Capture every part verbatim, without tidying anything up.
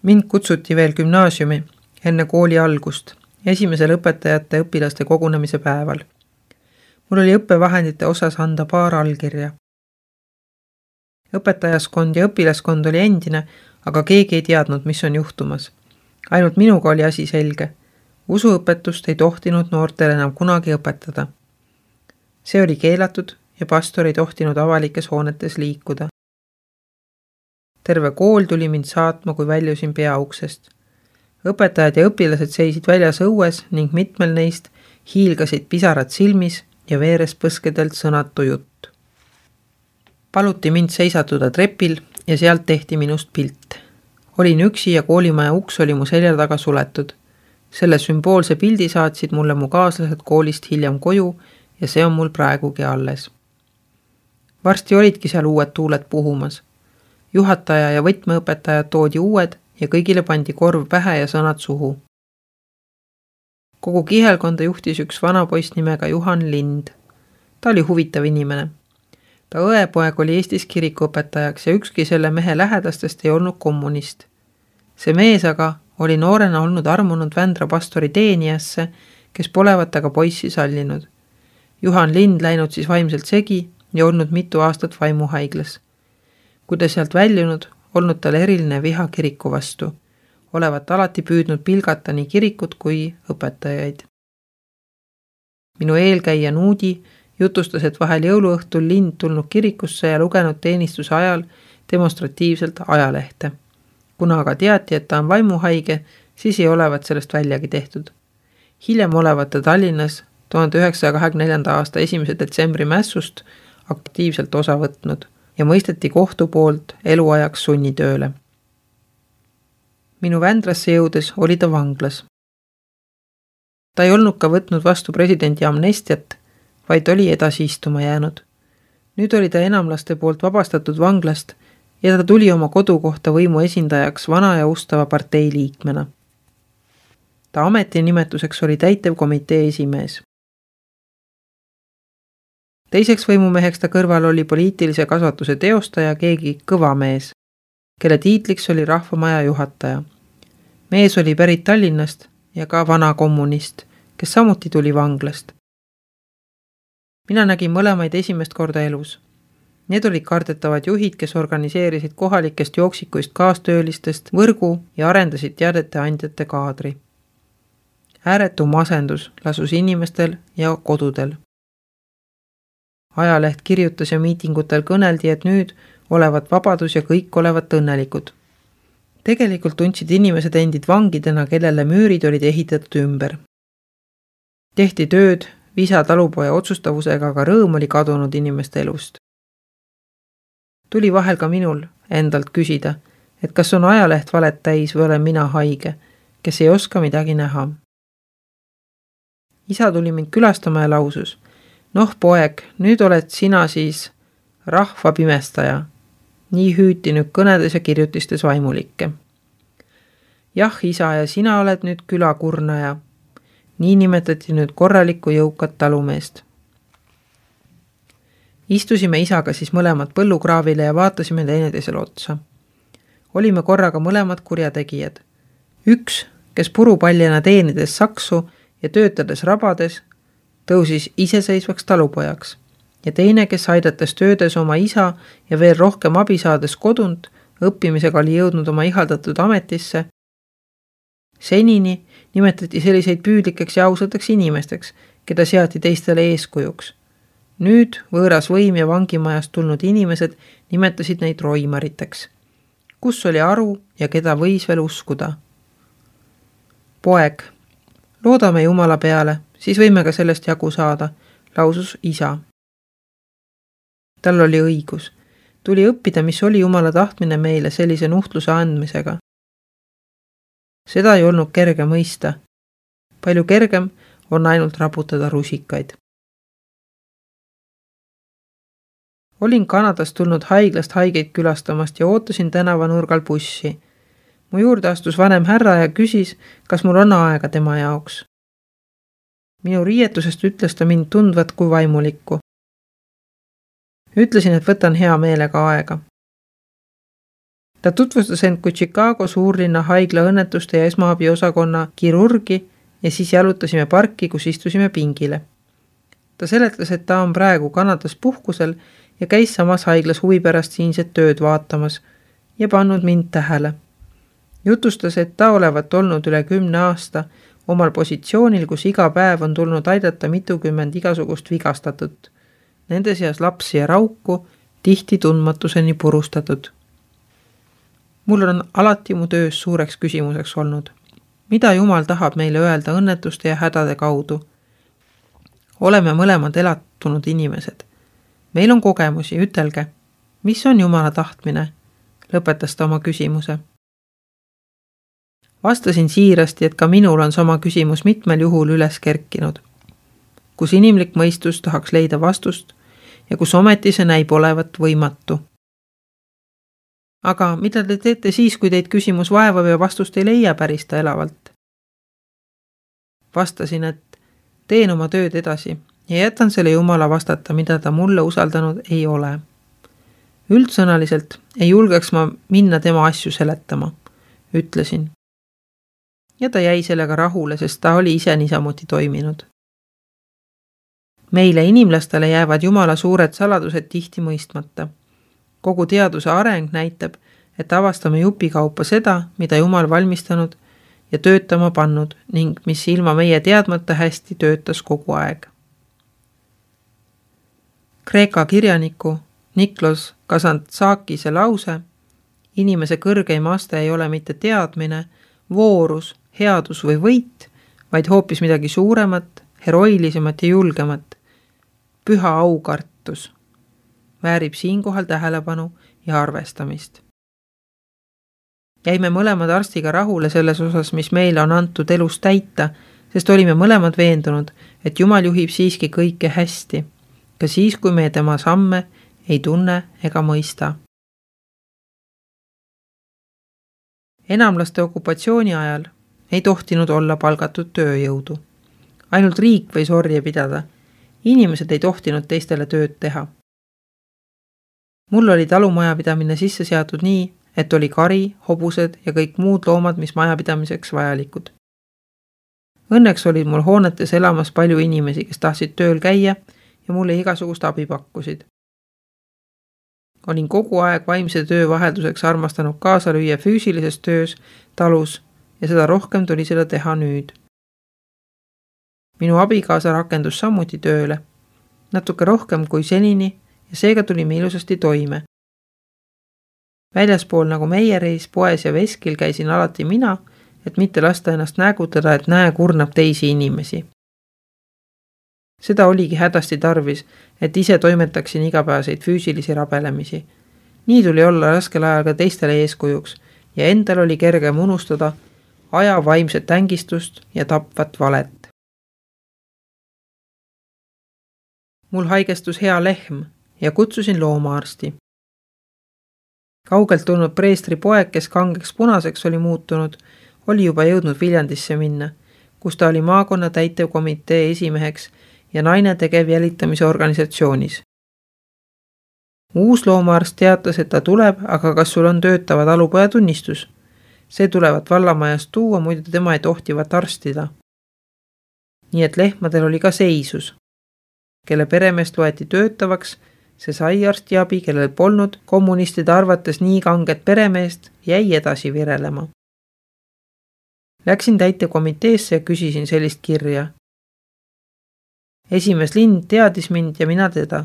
Mind kutsuti veel gümnaasiumi enne kooli algust, esimesel õpetajate õpilaste kogunemise päeval. Mul oli õppevahendite osas anda paar allkirja. Õpetajaskond ja õpilaskond oli endine, aga keegi ei teadnud, mis on juhtumas. Ainult minuga oli asi selge. Usuõpetust ei tohtinud noortele enam kunagi õpetada. See oli keelatud ja pastor ei tohtinud avalikes hoonetes liikuda. Terve kool tuli mind saatma, kui väljusin peauksest. Õpetajad ja õpilased seisid väljas õues ning mitmel neist hiilgasid pisarad silmis ja veeres põskedelt sõnatu jutt. Paluti mind seisatuda trepil ja sealt tehti minust pilt. Olin üksi ja koolimaja uks oli mu selja taga suletud. Selle sümboolse pildi saatsid mulle mu kaaslased koolist hiljem koju ja see on mul praegugi alles. Varsti olidki seal uued tuuled puhumas. Juhataja ja võtmeõpetajad toodi uued ja kõigile pandi korv pähe ja sõnad suhu. Kogu kihelkonda juhtis üks vanapoiss nimega Juhan Lind. Ta oli huvitav inimene. Ta õepoeg oli Eestis kirikuõpetajaks ja ükski selle mehe lähedastest ei olnud kommunist. See mees aga oli noorena olnud armunud Vändra pastori teenijasse, kes polevat aga poissi sallinud. Juhan Lind läinud siis vaimselt segi ja olnud mitu aastat vaimuhaiglas. Kui ta sealt väljunud, olnud tal eriline viha kiriku vastu, olevat alati püüdnud pilgata nii kirikut kui õpetajaid. Minu eelkäija Nuudi jutustas, et vahel jõuluõhtul Lind tulnud kirikusse ja lugenud teenistuse ajal demonstratiivselt ajalehte. Kuna aga teati, et ta on vaimuhaige, siis ei olevat sellest väljagi tehtud. Hiljem olevat ta Tallinnas tuhande üheksasaja kahekümne neljanda aasta esimese detsembri mässust aktiivselt osa võtnud ja mõisteti kohtu poolt eluajaks sunnitööle. Minu Vändrasse jõudes oli ta vanglas. Ta ei olnud ka võtnud vastu presidendi amnestiat, vaid oli edasi istuma jäänud. Nüüd oli ta enamlaste poolt vabastatud vanglast ja ta tuli oma kodukohta võimu esindajaks vana ja ustava partei liikmena. Ta ametinimetuseks oli täitevkomitee esimees. Teiseks võimumeheks ta kõrval oli poliitilise kasvatuse teostaja keegi kõva mees, kelle tiitliks oli rahvamaja juhataja. Mees oli pärit Tallinnast ja ka vana kommunist, kes samuti tuli vanglast. Mina nägin mõlemaid esimest korda elus. Need olid kardetavad juhid, kes organiseerisid kohalikest jooksikuist kaastöölistest võrgu ja arendasid teadete andjate kaadri. Ääretu masendus lasus inimestel ja kodudel. Ajaleht kirjutas ja miitingutel kõneldi, et nüüd olevat vabadus ja kõik olevat õnnelikud. Tegelikult tundsid inimesed endid vangidena, kellele müürid olid ehitatud ümber. Tehti tööd, visa talupoja otsustavusega, aga rõõm oli kadunud inimeste elust. Tuli vahel ka minul endalt küsida, et kas on ajaleht valet täis või olen mina haige, kes ei oska midagi näha. Isa tuli mind külastama ja lausus: "Noh, poeg, nüüd oled sina siis rahva pimestaja." Nii hüüti nüüd kõnedes ja kirjutistes vaimulikke. "Jah, isa, ja sina oled nüüd külakurnaja." Nii nimetati nüüd korralikku jõukat talumeest. Istusime isaga siis mõlemad põllukraavile ja vaatasime teineteisele otsa. Olime korraga mõlemad kurjategijad. Üks, kes purupaljena teenides saksu ja töötades rabades, tõusis iseseisvaks talupojaks ja teine, kes aidates töödes oma isa ja veel rohkem abi saades kodunt, õppimisega oli jõudnud oma ihaldatud ametisse. Senini nimetati selliseid püüdlikeks ja ausateks inimesteks, keda seati teistele eeskujuks. Nüüd võõras võim ja vangimajast tulnud inimesed nimetasid neid roimariteks. Kus oli aru ja keda võis veel uskuda? Poeg, loodame Jumala peale, siis võime ka sellest jagu saada, lausus isa. Tal oli õigus. Tuli õppida, mis oli Jumala tahtmine meile sellise nuhtluse andmisega. Seda ei olnud kerge mõista. Palju kergem on ainult raputada rusikaid. Olin Kanadast tulnud haiglast haigeid külastamast ja ootasin tänavanurgal bussi. Mu juurde astus vanem härra ja küsis, kas mul on aega tema jaoks. Minu riietusest ütles ta mind tundvat kui vaimulikku. Ütlesin, et võtan hea meelega aega. Ta tutvustas end kui Chicago suurlinna haigla õnnetuste ja esmaabiosakonna kirurgi ja siis jalutasime parki, kus istusime pingile. Ta seletas, et ta on praegu Kanadas puhkusel ja käis samas haiglas huvi pärast siinset tööd vaatamas ja pannud mind tähele. Jutustas, et ta olevat olnud üle kümne aasta omal positsioonil, kus iga päev on tulnud aidata mitukümmend igasugust vigastatut. Nende seas lapsi ja rauku, tihti tundmatuseni purustatud. Mul on alati mu töös suureks küsimuseks olnud. Mida Jumal tahab meile öelda õnnetuste ja hädade kaudu? Oleme mõlemad elatunud inimesed. Meil on kogemusi, ütelge. Mis on Jumala tahtmine? Lõpetas ta oma küsimuse. Vastasin siirasti, et ka minul on sama küsimus mitmel juhul üles kerkinud. Kus inimlik mõistus tahaks leida vastust ja kus ometi see näib olevat võimatu. Aga mida te teete siis, kui teid küsimus vaevab ja vastust ei leia pärista elavalt? Vastasin, et teen oma tööd edasi ja jätan selle Jumala vastata, mida ta mulle usaldanud ei ole. Üldsõnaliselt ei julgeks ma minna tema asju seletama, ütlesin. Ja ta jäi sellega rahule, sest ta oli ise niisamuti toiminud. Meile inimlastele jäävad Jumala suured saladused tihti mõistmata. Kogu teaduse areng näitab, et avastame jupikaupa seda, mida Jumal valmistanud ja töötama pannud ning mis ilma meie teadmata hästi töötas kogu aeg. Kreeka kirjaniku Niklos Kazantzakise lause, inimese kõrgeim aste ei ole mitte teadmine, voorus, headus või võit, vaid hoopis midagi suuremat, heroilisemat ja julgemat. Püha aukartus väärib siinkohal tähelepanu ja arvestamist. Jäime mõlemad arstiga rahule selles osas, mis meile on antud elus täita, sest olime mõlemad veendunud, et Jumal juhib siiski kõike hästi, ka siis, kui me tema samme ei tunne ega mõista. Enamlaste okupatsiooni ajal ei tohtinud olla palgatud tööjõudu. Ainult riik võis orje pidada. Inimesed ei tohtinud teistele tööd teha. Mul oli talumajapidamine sisse seatud nii, et oli kari, hobused ja kõik muud loomad, mis majapidamiseks vajalikud. Õnneks olid mul hoonetes elamas palju inimesi, kes tahtsid tööl käia ja mulle igasugust abi pakkusid. Olin kogu aeg vaimse töö vahelduseks armastanud kaasa lüüa füüsilises töös talus ja seda rohkem tuli seda teha nüüd. Minu abikaasa rakendus samuti tööle, natuke rohkem kui senini ja seega tulime ilusasti toime. Väljaspool nagu meie reis poes ja veskil käisin alati mina, et mitte lasta ennast näägutada, et näe kurnab teisi inimesi. Seda oligi hädasti tarvis, et ise toimetaksin igapäevaseid füüsilisi rabelemisi. Nii tuli olla raskel ajal ka teistele eeskujuks ja endal oli kergem unustada aja vaimset ängistust ja tapvat valet. Mul haigestus hea lehm ja kutsusin loomaarsti. Kaugelt tulnud preestri poeg, kes kangeks punaseks oli muutunud, oli juba jõudnud Viljandisse minna, kus ta oli maakonna täitevkomitee esimeheks ja naine tegev jälitamise organisatsioonis. Uus loomaarst teatas, et ta tuleb, aga kas sul on töötava talupoja tunnistus? See tulevat vallamajast tuua, muidu tema ei tohtivat arstida. Nii et lehmadel oli ka seisus. Kelle peremeest loeti töötavaks, see sai arstiabi, kellel polnud kommunistide arvates nii kanget peremeest, jäi edasi virelema. Läksin täitekomiteesse ja küsisin sellist kirja. Esimees Lind teadis mind ja mina teda.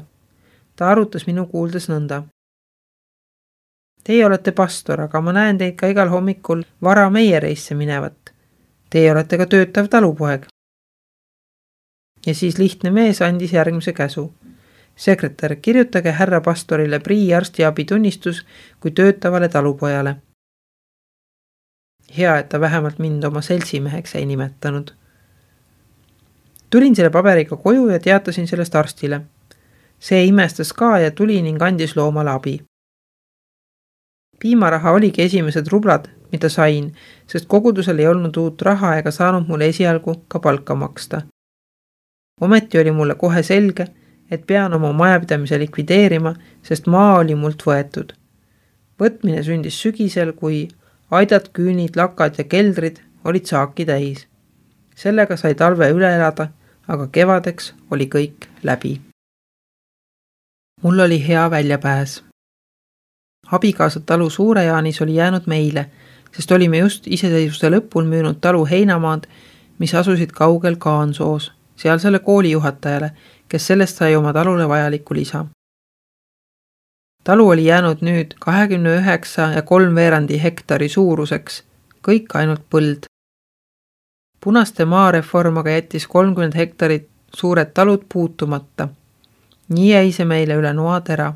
Ta arutas minu kuuldes nõnda. Teie olete pastor, aga ma näen teid ka igal hommikul vara meie reisse minevat. Teie olete ka töötav talupoeg. Ja siis lihtne mees andis järgmise käsu. Sekretär, kirjutage härra pastorile prii arstiabi tunnistus kui töötavale talupojale. Hea, et ta vähemalt mind oma seltsimeheks ei nimetanud. Tulin selle paberiga koju ja teatasin sellest arstile. See imestas ka ja tuli ning andis loomale abi. Piimaraha oligi esimesed rublad, mida sain, sest kogudusel ei olnud uut raha ega saanud mulle esialgu ka palka maksta. Ometi oli mulle kohe selge, et pean oma majapidamise likvideerima, sest maa oli mult võetud. Võtmine sündis sügisel, kui aidad, küünid, lakad ja keldrid olid saaki täis. Sellega sai talve üle elada, aga kevadeks oli kõik läbi. Mul oli hea väljapääs. Abikaasa talu Suure-Jaanis oli jäänud meile, sest olime just iseseisvuse lõpul müünud talu heinamaad, mis asusid kaugel Kaansoos, sealsele koolijuhatajale, kes sellest sai oma talule vajaliku lisa. Talu oli jäänud nüüd kahekümne üheksa ja kolm veerandi hektari suuruseks, kõik ainult põld. Punaste maareform aga jättis kolmkümmend hektarit suured talud puutumata. Nii jäi see meile üle noatera.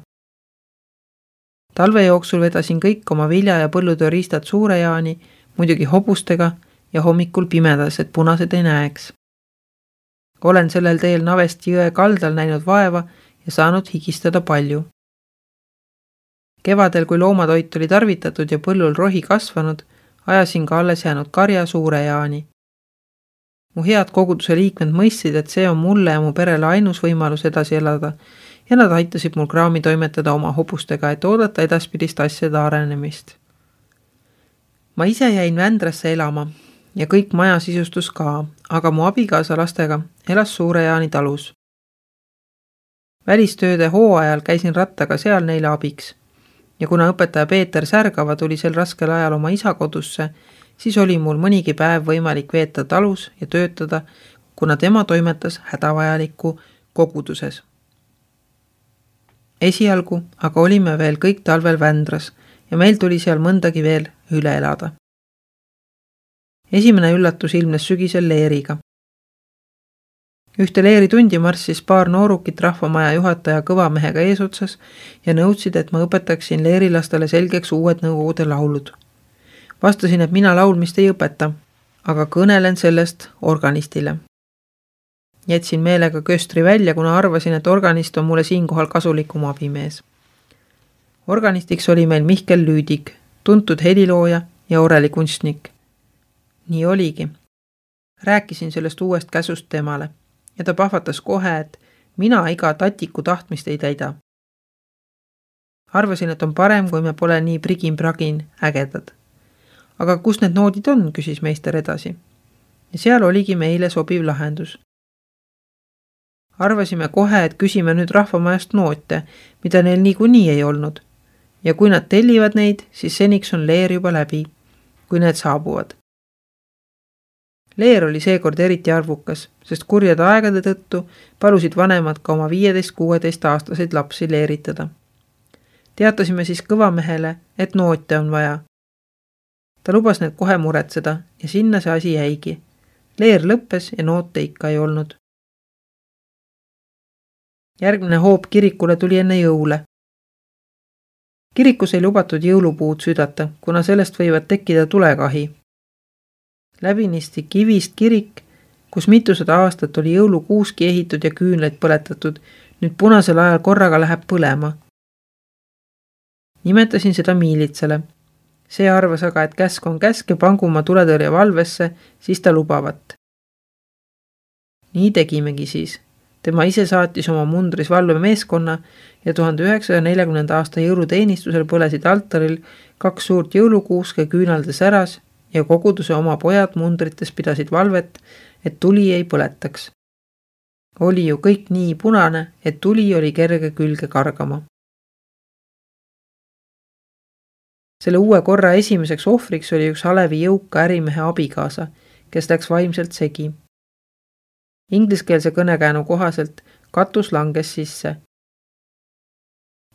Talve jooksul vedasin kõik oma vilja- ja põllutööriistad Suure-Jaani, muidugi hobustega ja hommikul pimedas, et punased ei näeks. Olen sellel teel Navesti jõe kaldal näinud vaeva ja saanud higistada palju. Kevadel, kui loomatoit oli tarvitatud ja põllul rohi kasvanud, ajasin ka alles jäänud karja Suure-Jaani. Mu head koguduse liikmed mõistsid, et see on mulle ja mu perele ainus võimalus edasi elada ja nad aitasid mul kraami toimetada oma hobustega, et oodata edaspidist asjade arenemist. Ma ise jäin Vändrasse elama ja kõik maja sisustus ka, aga mu abikaasa lastega elas Suure-Jaani talus. Välistööde hooajal käisin rattaga seal neile abiks ja kuna õpetaja Peeter Särgava tuli sel raskel ajal oma isa kodusse, siis oli mul mõnigi päev võimalik veeta talus ja töötada, kuna tema toimetas hädavajaliku koguduses. Esialgu aga olime veel kõik talvel Vändras ja meil tuli seal mõndagi veel üle elada. Esimene üllatus ilmnes sügisel leeriga. Ühte leeri tundi marssis paar noorukit rahvamaja juhataja kõvamehega eesotsas ja nõudsid, et ma õpetaksin leerilastele selgeks uued nõukogude laulud. Vastasin, et mina laulmist ei õpeta, aga kõnelen sellest organistile. Jätsin meelega köstri välja, kuna arvasin, et organist on mulle siinkohal kasulikum abimees. Organistiks oli meil Mihkel Lüüdik, tuntud helilooja ja orelikunstnik. Nii oligi. Rääkisin sellest uuest käsust temale ja ta pahvatas kohe, et mina iga tatiku tahtmist ei täida. Arvasin, et on parem, kui me pole nii prigin-pragin ägedad. Aga kus need noodid on, küsis meister edasi. Ja seal oligi meile sobiv lahendus. Arvasime kohe, et küsime nüüd rahvamajast noote, mida neil niikuinii ei olnud. Ja kui nad tellivad neid, siis seniks on leer juba läbi, kui need saabuvad. Leer oli seekord eriti arvukas, sest kurjade aegade tõttu palusid vanemad ka oma viieteist kuueteist aastaseid lapsi leeritada. Teatasime siis kõvamehele, et noote on vaja. Ta lubas need kohe muretseda ja sinna see asi jäigi. Leer lõppes ja noote ikka ei olnud. Järgmine hoob kirikule tuli enne jõule. Kirikus ei lubatud jõulupuud südata, kuna sellest võivad tekkida tulekahi. Läbinisti kivist kirik, kus mitusada aastat oli jõulukuuski ehitud ja küünleid põletatud, nüüd punasel ajal korraga läheb põlema. Nimetasin seda miilitsale. See arvas aga, et käsk on käsk ja pangu ma tuletõrje valvesse, siis ta lubavat. Nii tegimegi siis. Tema ise saatis oma mundris valvemeeskonna ja tuhande üheksasaja neljakümnenda aasta jõuluteenistusel põlesid altaril kaks suurt jõulukuuske küünaldes äras ja koguduse oma pojad mundrites pidasid valvet, et tuli ei põletaks. Oli ju kõik nii punane, et tuli oli kerge külge kargama. Selle uue korra esimeseks ohvriks oli üks Alevi jõuka ärimehe abikaasa, kes läks vaimselt segi. Ingliskeelse kõnekäänu kohaselt katus langes sisse.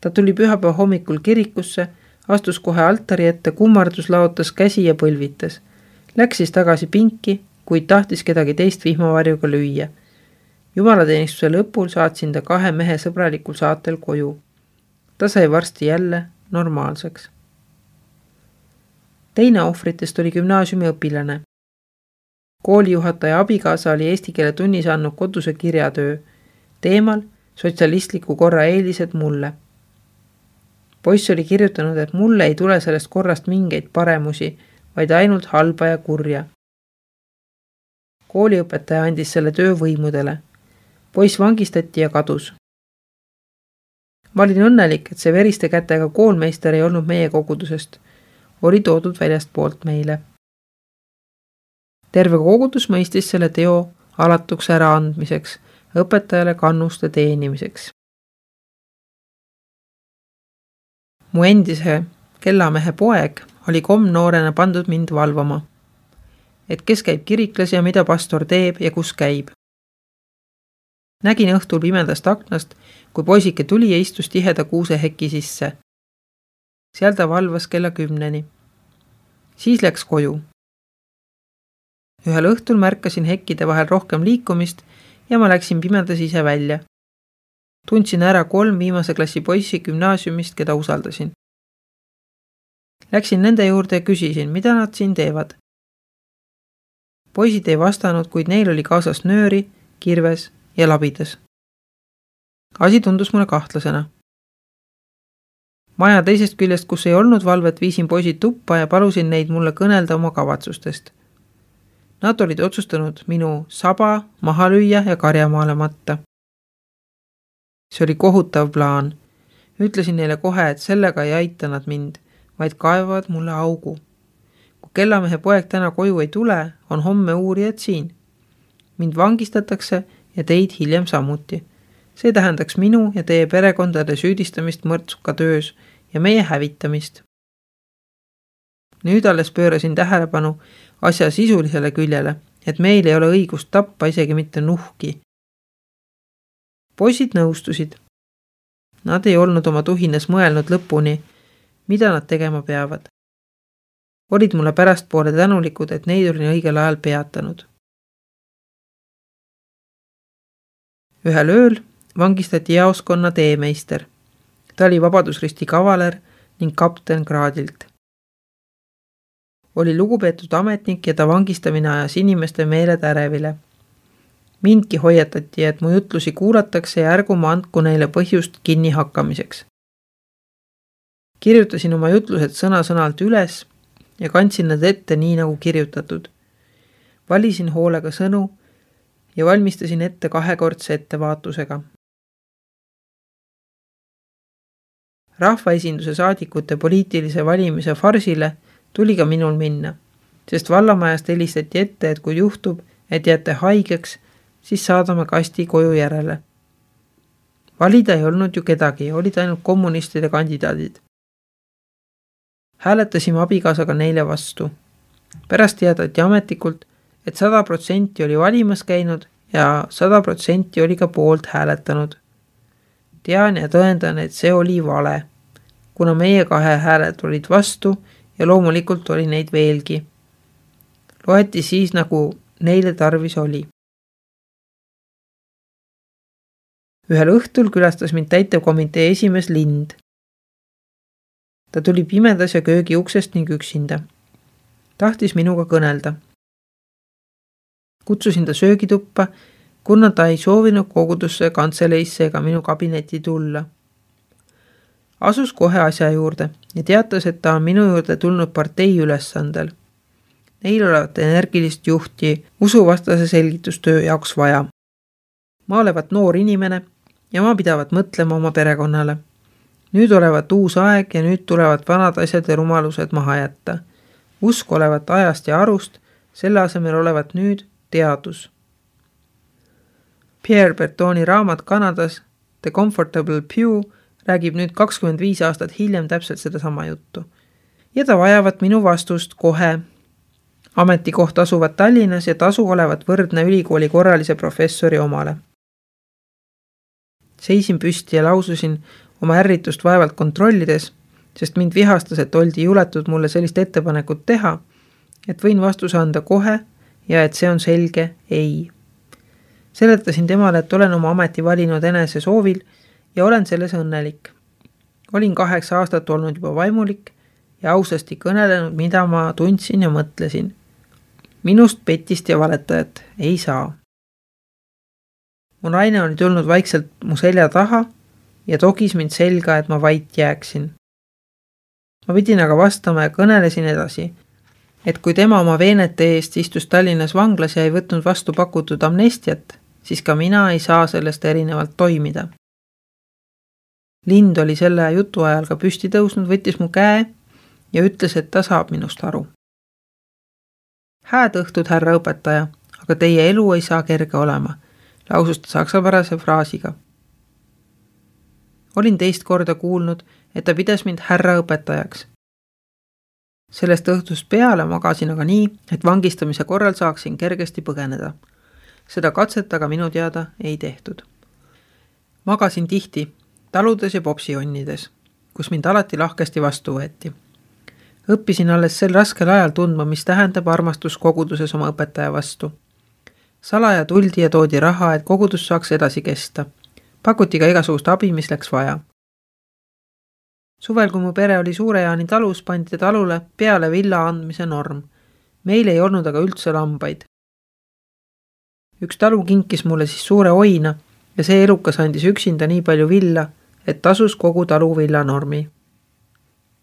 Ta tuli pühapäeva hommikul kirikusse, astus kohe altari ette, kummardus, laotas käsi ja põlvitas. Läks siis tagasi pinki, kuid tahtis kedagi teist vihmavarjuga lüüa. Jumalateenistuse lõpul saatsin ta kahe mehe sõbralikul saatel koju. Ta sai varsti jälle normaalseks. Teine ohvritest oli gümnaasiumi õpilane. Koolijuhataja abikaasa oli eesti keele tunnis andnud koduse kirjatöö teemal sotsialistliku korra eelised mulle. Poiss oli kirjutanud, et mulle ei tule sellest korrast mingeid paremusi, vaid ainult halba ja kurja. Kooliõpetaja andis selle töö võimudele. Poiss vangistati ja kadus. Ma olin õnnelik, et see veriste kätega koolmeister ei olnud meie kogudusest. Oli toodud väljast poolt meile. Terve kogudus mõistis selle teo alatuks ära andmiseks, õpetajale kannuste teenimiseks. Mu endise kellamehe poeg oli komnoorena pandud mind valvama, et kes käib kiriklas ja mida pastor teeb ja kus käib. Nägin õhtul pimedast aknast, kui poisike tuli ja istus tiheda kuuseheki sisse. Seal ta valvas kella kümneni. Siis läks koju. Ühel õhtul märkasin hekkide vahel rohkem liikumist ja ma läksin pimedas ise välja. Tundsin ära kolm viimase klassi poissi gümnaasiumist, keda usaldasin. Läksin nende juurde ja küsisin, mida nad siin teevad. Poisid ei vastanud, kuid neil oli kaasas nööri, kirves ja labidas. Asi tundus mulle kahtlasena. Maja teisest küljest, kus ei olnud valvet, viisin poisid tuppa ja palusin neid mulle kõnelda oma kavatsustest. Nad olid otsustanud minu saba maha lüüa ja karjamaale matta. See oli kohutav plaan. Ütlesin neile kohe, et sellega ei aita nad mind, vaid kaevavad mulle augu. Kui kellamehe poeg täna koju ei tule, on homme uurijad siin. Mind vangistatakse ja teid hiljem samuti. See tähendaks minu ja teie perekondade süüdistamist mõrtsuka töös ja meie hävitamist. Nüüd alles pöörasin tähelepanu asja sisulisele küljele, et meil ei ole õigust tappa isegi mitte nuhki. Poisid nõustusid. Nad ei olnud oma tuhines mõelnud lõpuni, mida nad tegema peavad. Olid mulle pärastpoole tänulikud, et neid olin õigel ajal peatanud. Ühel ööl vangistati jaoskonna teemeister. Ta oli Vabadusristi kavaler ning kapten kraadilt. Oli lugupeetud ametnik ja ta vangistamine ajas inimeste meeled ärevile. Mindki hoiatati, et mu jutlusi kuulatakse ja ärgu ma andku neile põhjust kinni hakkamiseks. Kirjutasin oma jutlused sõna-sõnalt üles ja kandsin nad ette nii nagu kirjutatud. Valisin hoolega sõnu ja valmistasin ette kahekordse ettevaatusega. Rahvaesinduse saadikute poliitilise valimise farsile tuli ka minul minna, sest vallamajast helistati ette, et kui juhtub, et jääte haigeks, siis saadame kasti koju järele. Valida ei olnud ju kedagi, olid ainult kommunistide kandidaadid. Hääletasime abikaasaga neile vastu. Pärast teadati ametlikult, et sada protsenti oli valimas käinud ja sada protsenti oli ka poolt hääletanud. Tean ja tõendan, et see oli vale, kuna meie kahe hääled olid vastu ja loomulikult oli neid veelgi. Loeti siis, nagu neile tarvis oli. Ühel õhtul külastas mind täitevkomitee esimees Lind. Ta tuli pimedas ja köögi uksest ning üksinda. Tahtis minuga kõnelda. Kutsusin ta söögituppa, kuna ta ei soovinud kogudusse, kantseleisse ega minu kabinetti tulla. Asus kohe asja juurde ja teatas, et ta on minu juurde tulnud partei ülesandel. Neil olevat energilist juhti usuvastase selgitustöö jaoks vaja. Ma olevat noor inimene ja ma pidavat mõtlema oma perekonnale. Nüüd olevat uus aeg ja nüüd tulevad vanad asjad ja rumalused maha jätta. Usk olevat ajast ja arust, selle asemel olevat nüüd teadus. Pierre Bertoni raamat Kanadas The Comfortable Pew räägib nüüd kakskümmend viis aastat hiljem täpselt seda sama juttu. Ja ta vajavat minu vastust kohe. Ametikoht asuvad Tallinnas ja tasu olevat võrdne ülikooli korralise professori omale. Seisin püsti ja laususin oma ärritust vaevalt kontrollides, sest mind vihastas, et oldi juletud mulle sellist ettepanekut teha, et võin vastuse anda kohe ja et see on selge ei. Seletasin temale, et olen oma ameti valinud enese soovil ja olen selles õnnelik. Olin kaheksa aastat olnud juba vaimulik ja ausasti kõnelenud, mida ma tundsin ja mõtlesin. Minust petist ja valetajat ei saa. Mu naine oli tulnud vaikselt mu selja taha ja togis mind selga, et ma vait jääksin. Ma pidin aga vastama ja kõnelesin edasi, et kui tema oma veenete eest istus Tallinnas vanglas ja ei võtnud vastu pakutud amnestiat, siis ka mina ei saa sellest erinevalt toimida. Lind oli selle jutu ajal ka püsti tõusnud, võttis mu käe ja ütles, et ta saab minust aru. Hääd õhtut, härra õpetaja, aga teie elu ei saa kerge olema, lausus ta saksapärase fraasiga. Olin teist korda kuulnud, et ta pidas mind härra õpetajaks. Sellest õhtust peale magasin aga nii, et vangistamise korral saaksin kergesti põgeneda. Seda katset aga minu teada ei tehtud. Magasin tihti, taludes ja popsionnides, kus mind alati lahkesti vastu võeti. Õppisin alles sel raskel ajal tundma, mis tähendab armastus koguduses oma õpetaja vastu. Salaja tuldi ja toodi raha, et kogudus saaks edasi kesta. Pakuti ka igasugust abi, mis läks vaja. Suvel, kui mu pere oli Suure-Jaani talus, pandi talule peale villa andmise norm. Meil ei olnud aga üldse lambaid. Üks talu kinkis mulle siis suure oina ja see elukas andis üksinda nii palju villa, et tasus kogu talu villanormi.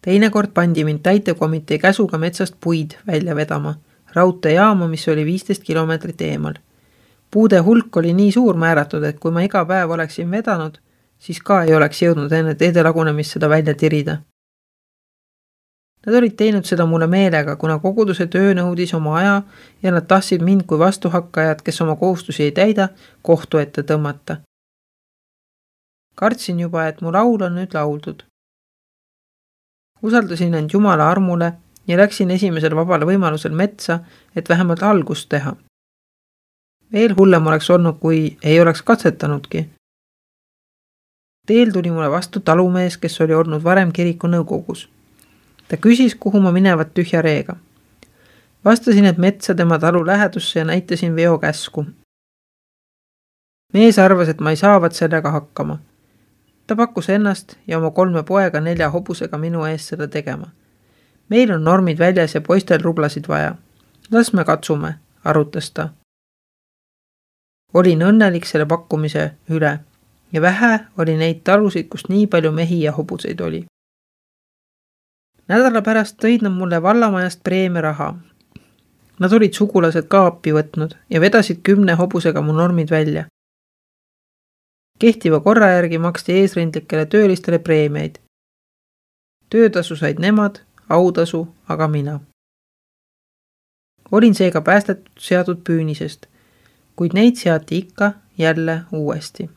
Teinekord pandi mind täitekomitee käsuga metsast puid välja vedama, raudteejaama, mis oli viisteist kilomeetrit eemal. Puude hulk oli nii suur määratud, et kui ma iga päev oleksin vedanud, siis ka ei oleks jõudnud enne teede lagunemist seda välja tirida. Nad olid teinud seda mulle meelega, kuna koguduse töö nõudis oma aja ja nad tahtsid mind kui vastuhakkajad, kes oma kohustusi ei täida, kohtu ette tõmmata. Kartsin juba, et mu laul on nüüd lauldud. Usaldasin end Jumala armule ja läksin esimesel vabale võimalusel metsa, et vähemalt algust teha. Veel hullem oleks olnud, kui ei oleks katsetanudki. Teel tuli mulle vastu talumees, kes oli olnud varem kiriku nõukogus. Ta küsis, kuhu ma minevat tühja reega. Vastasin, et metsa tema talu lähedusse ja näitasin veokäsku. Mees arvas, et ma ei saavat sellega hakkama. Ta pakkus ennast ja oma kolme poega nelja hobusega minu ees seda tegema. Meil on normid väljas ja poistel rublasid vaja. Las me katsume, arutas ta. Olin õnnelik selle pakkumise üle ja vähe oli neid talusid, kus nii palju mehi ja hobuseid oli. Nädala pärast tõid nad mulle vallamajast preemia raha. Nad olid sugulased ka appi võtnud ja vedasid kümne hobusega mu normid välja. Kehtiva korra järgi maksti eesrindlikele töölistele preemiaid. Töötasu said nemad, autasu aga mina. Olin seega päästetud seatud püünisest, kuid neid seati ikka jälle uuesti.